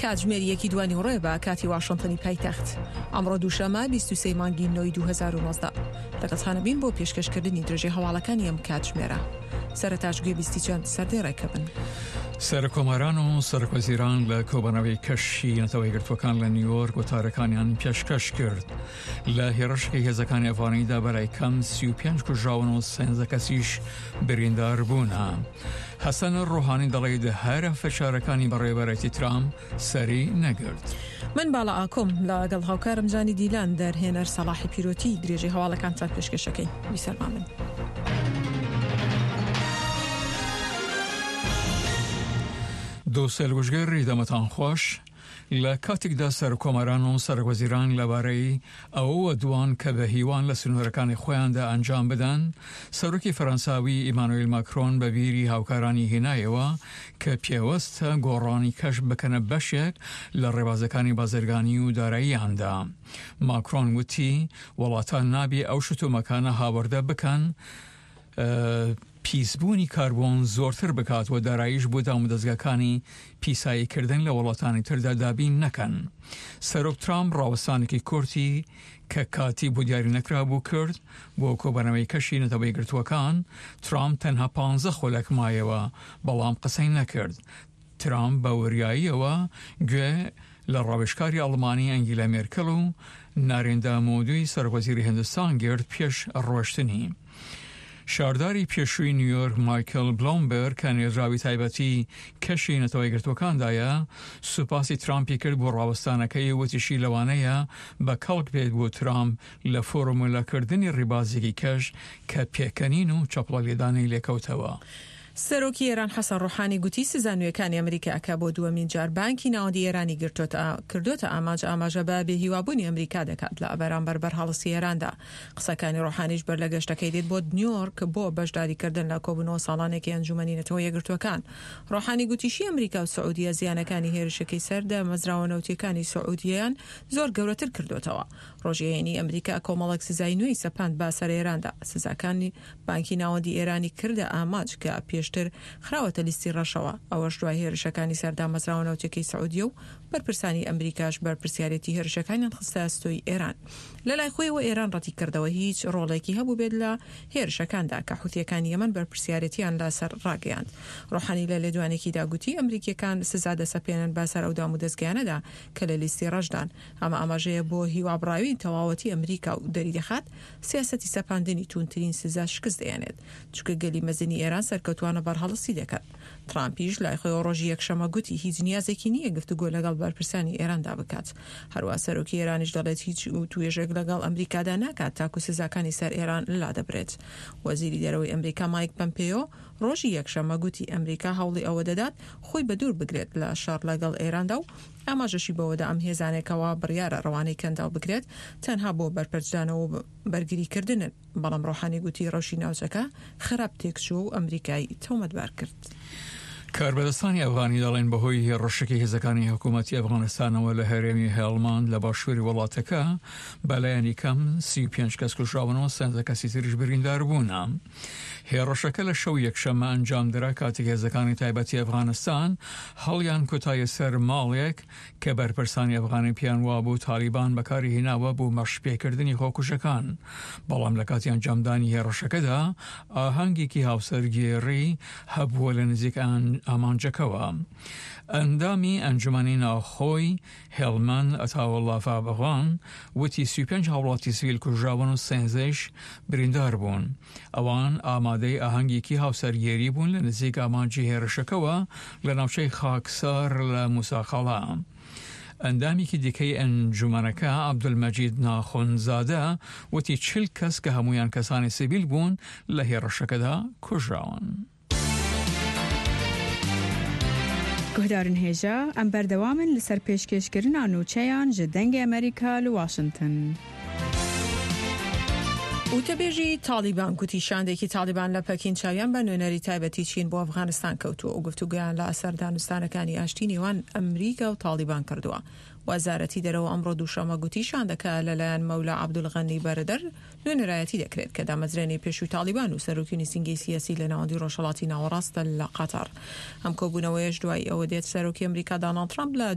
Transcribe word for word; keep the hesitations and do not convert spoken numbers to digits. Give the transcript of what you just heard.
کاتژمێر یەکی دوانیوەڕۆیە بە کاتی واشنتنی پایتەخت. ئەمڕۆ دووشەممە بیست و سێ مانگی نۆی دوو هەزار و نۆزدە. لەگەڵتانە بین بۆ پێشکەشکردنی درێژەی هەواڵەکانی ئەم کاتژمێرە. سەرەتاش گوێبیستی چەند سەردێڕێکە بن. سەرکۆماران و سەرۆکوەزیران لە کۆبەنەوەی کەشی نەتەوە یەکگرتووەکان لە نیویۆرک وتارەکانیان پێشکەش کرد. لە هێرشێکی هێزەکانی ئەفغانیدا بەلای کەم سی و پێنج کوژراون و سێزدە کەسیش بریندار بوونە. حەسەن ڕۆحانی دەڵێت هەر فشارەکانی بەڕێوەبەرایەتی ترامپ سەری نەگرت. من باڵا ئاکۆم لەگەڵ هاوکارم جانی دیلان دەرهێنەر سەڵاحی پیرۆتی درێژەی هەواڵەکانتان پێشکەشەکەین. بیسەلمامن. دۆستەیل گوشگەر دەمەتان خۆش. لە کاتێکدا سەرکۆماران و سەرۆکوەزیران لەبارەی ئەوەوە دوان کە بە هیوان لە سنوورەکانی خۆیاندا ئەنجام بدەن، سەرۆکی فەرەنساوی ئیمانویل ماکرۆن بە بیری هاوکارانی هێنایەوە کە پێوەستە گۆڕانی کەش بکەنە بەشێک لە ڕێبازەکانی بازرگانی و داراییاندا. ماکرۆن وتی وڵاتان نابێ ئەو شتومەکانە هاوردە بکەن پیسبوونی کاربۆن زۆرتر بکات و داراییش بۆ دامودەزگاکانی پیساییکردن لە وڵاتانی تردا دابین نەکەن. سەرۆک ترامپ ڕاوەستانێکی کورتی کە کاتی بۆ دیاری نەکرابوو کرد بۆ کۆبەنەوەی کەشی نەتەوە یەکگرتووەکان. ترامپ تەنها پانزە خولەک مایەوە بەڵام قسەی نەکرد. ترامپ بە وریاییەوە گوێ لە ڕاوێژکاری ئەڵمانی ئەنگیلا مێرکل و نارێندا مۆدی سەرۆکوەزیری هندستان گرت پێش ڕۆشتنی. شارداری پێشووی نیویۆرک مایکل بلۆمبەرگ کە نێردراوی تایبەتی کەشی نەتەوە یەکگرتووەکاندایە سوپاسی ترامپی کرد بۆ ڕاوەستانەکەی، وتیشی لەوانەیە بە کەڵک بێت بۆ ترامپ لە فۆرمولەکردنی ڕێبازێکی کەش کە پێکەنین و چەپڵە لێدانی لێکەوتەوە. سەرۆکی ئێران حەسەن ڕۆحانی گوتی سزا نوێکانی ئەمریکا کە بۆ دووەمین جار بانکی ناوەندی ئێرانی کردۆتە ئامانج ئاماژە بە بێهیوابوونی ئەمریکا دەکات لە بەرامبەر بەرهەڵستی ئێراندا. قسەکانی ڕۆحانیش بەر لە گەشتەکەی دێت بۆ نیویۆرک بۆ بەشداریکردن لە کۆبوونەوە ساڵانێکی ئەنجومەنی نەتەوە یەکگرتووەکان. ڕۆحانی گوتیشی ئەمریکا و سعودیە زیانەکانی هێرشەکەی سەر دامەزراوە نەوتیەکانی سعودیەیان زۆر گەورەتر کردوتەوە. ڕۆژی هەینی ئەمریکا کۆمەڵێک سزای نوێی سەپاند بە سەر ئێراندا. سزاکانی بانکی ناوەندی ئێرانی کردە ئامانج کە پێشتر خراوەتە لیستی ڕەشەوە، ئەوەش دوای هێرشەکانی سەر دامەزراوە نەوتیەکەی سعودیە و بەرپرسانی ئەمریکاش بەرپرسیارێتی هێرشەکانیان خستە ئەستۆی ئێران. لەلای خۆیەوە ئێران ڕەتی کردەوە هیچ ڕۆڵێکی هەبوو بێت لە هێرشەکاندا کە حوثیەکانی یەمەن بەرپرسیارێتیان لەسەر ڕاگەیاند. ڕۆحانی لە لێدوانێکیدا گوتی ئەمریکیەکان سزا دەسەپێنن بەسەر ئەو دامودەزگایانەدا کە لە لیستی ڕەشدان. ئەمە ئاماژەیە بۆ هیوابڕاوی تەواوەتی ئەمریکا و دەری دەخات سیاسەتی سەپاندنی توندترین سزا شکست دەیەنێت، چونکە گەلی مەزنی ئێران سەرکەوتوانە بەرهەڵستی دەکات. ترامپیش لای خۆیەوە ڕۆژی یەکشەمە گوتی هیچ نیازێکی نییە گفتوگۆ لەگەڵ بەرپرسانی ئێراندا بکات. هەروە سەرۆکی ئێرانیش دەڵێت هیچ توێژێک لەگەڵ ئەمریکادا ناکات تاکو سزاکانی سەر ئێران لادەبرێت. وەزیری دەرەوەی ئەمریکا مایک پەمپێیۆ ڕۆژی یەکشەمە گوتی ئەمریکا هەوڵی ئەوە دەدات خۆی بەدوور بگرێت لە شەڕ لەگەڵ ئێراندا و ئاماژەشی بەوەدا ئەم هێزانێکەوە بڕیارە ڕەوانەی کەنداو بکرێت تەنها بۆ بەرپەرچدانەوە و بەرگریکردنن. بەڵام ڕۆحانی گوتی ڕەوشی ناوچەکە خراپ تێکچووە و ئەمریکای تۆمەتبار کرد. کاربەدەستانی ئەفغانی دەڵێن بەهۆی هێڕشێکی هێزەکانی حکوومەتی ئەفغانستانەوە لە هەرێمی هێڵماند لە باشووری وڵاتەکە بەلایەنی کەم سی و پێنج کەس کوژراون و سێزدە کەسی تریش بریندار بوونە. هێڕشەکە لە شەو یەکشەممە ئەنجامدرا کاتێک هێزەکانی تایبەتی ئەفغانستان هەڵیان کوتایە سەر ماڵێک کە بەرپرسانی ئەفغانی پێیان وابوو تالیبان بەکاری هێناوە بۆ مەشپێکردنی خۆکوژەکان، بەڵام لە کاتی ئەنجامدانی هێڕشەکەدا ئاهەنگێکی هاوسەرگێڕی هەبووە لە نزیک ئامانجەکەوە. ئەندامی ئەنجومەنی ناوخۆی هێڵمەند ئەتاوەڵا فابغان وتی سی و پێنج هاوڵاتی سڤیل کوژراون و سێزدەیش بریندار بوون. ئەوان ئامادەی ئاهەنگێکی هاوسەرگێری بوون لە نزیک ئامانجی هێرشەکەوە لە ناوچەی خاکسار لە موساقەڵا. ئەندامێکی دیکەی ئەنجومەنەکە عەبدولمەجید ناخونزادە وتی چل کەس کە هەمویان کەسانی سڤیل بوون لە هێرشەکەدا کوژراون. گوهدارن هێژا ئەم بەردەوامن لەسەر پێشکێشکردنا نوچەیان ji دەنگی ئەمریکا لە واشنگتن. وتەبێژی تاڵیبان گوتی شاندێکی تاڵیبان لە پەکین چاویان بە نوێنەری تایبەتی چین بۆ ئەفغانستان کەوتووە و گفتوگۆیان لە ئەسەر دانوستانەکانی ئاشتی نێوان ئەمریکا و تاڵیبان کردووە. وەزارەتی دەرەوە ئەمڕۆ دووشەممە گوتی شاندەکە لەلایەن مەولا عەبدولغەنی بەرەدەر نوێنەرایەتی دەکرێت کە دامەزرێنەی پێشووی تاڵیبان و سەرۆکی نووسینگەی سیاسی لە ناوەندی ڕۆژهەڵاتی ناوەڕاستە لە قەتەر. ئەم کۆبوونەوەیەش دوای ئەوە دێت سەرۆکی ئەمریکا داناڵد ترامپ لە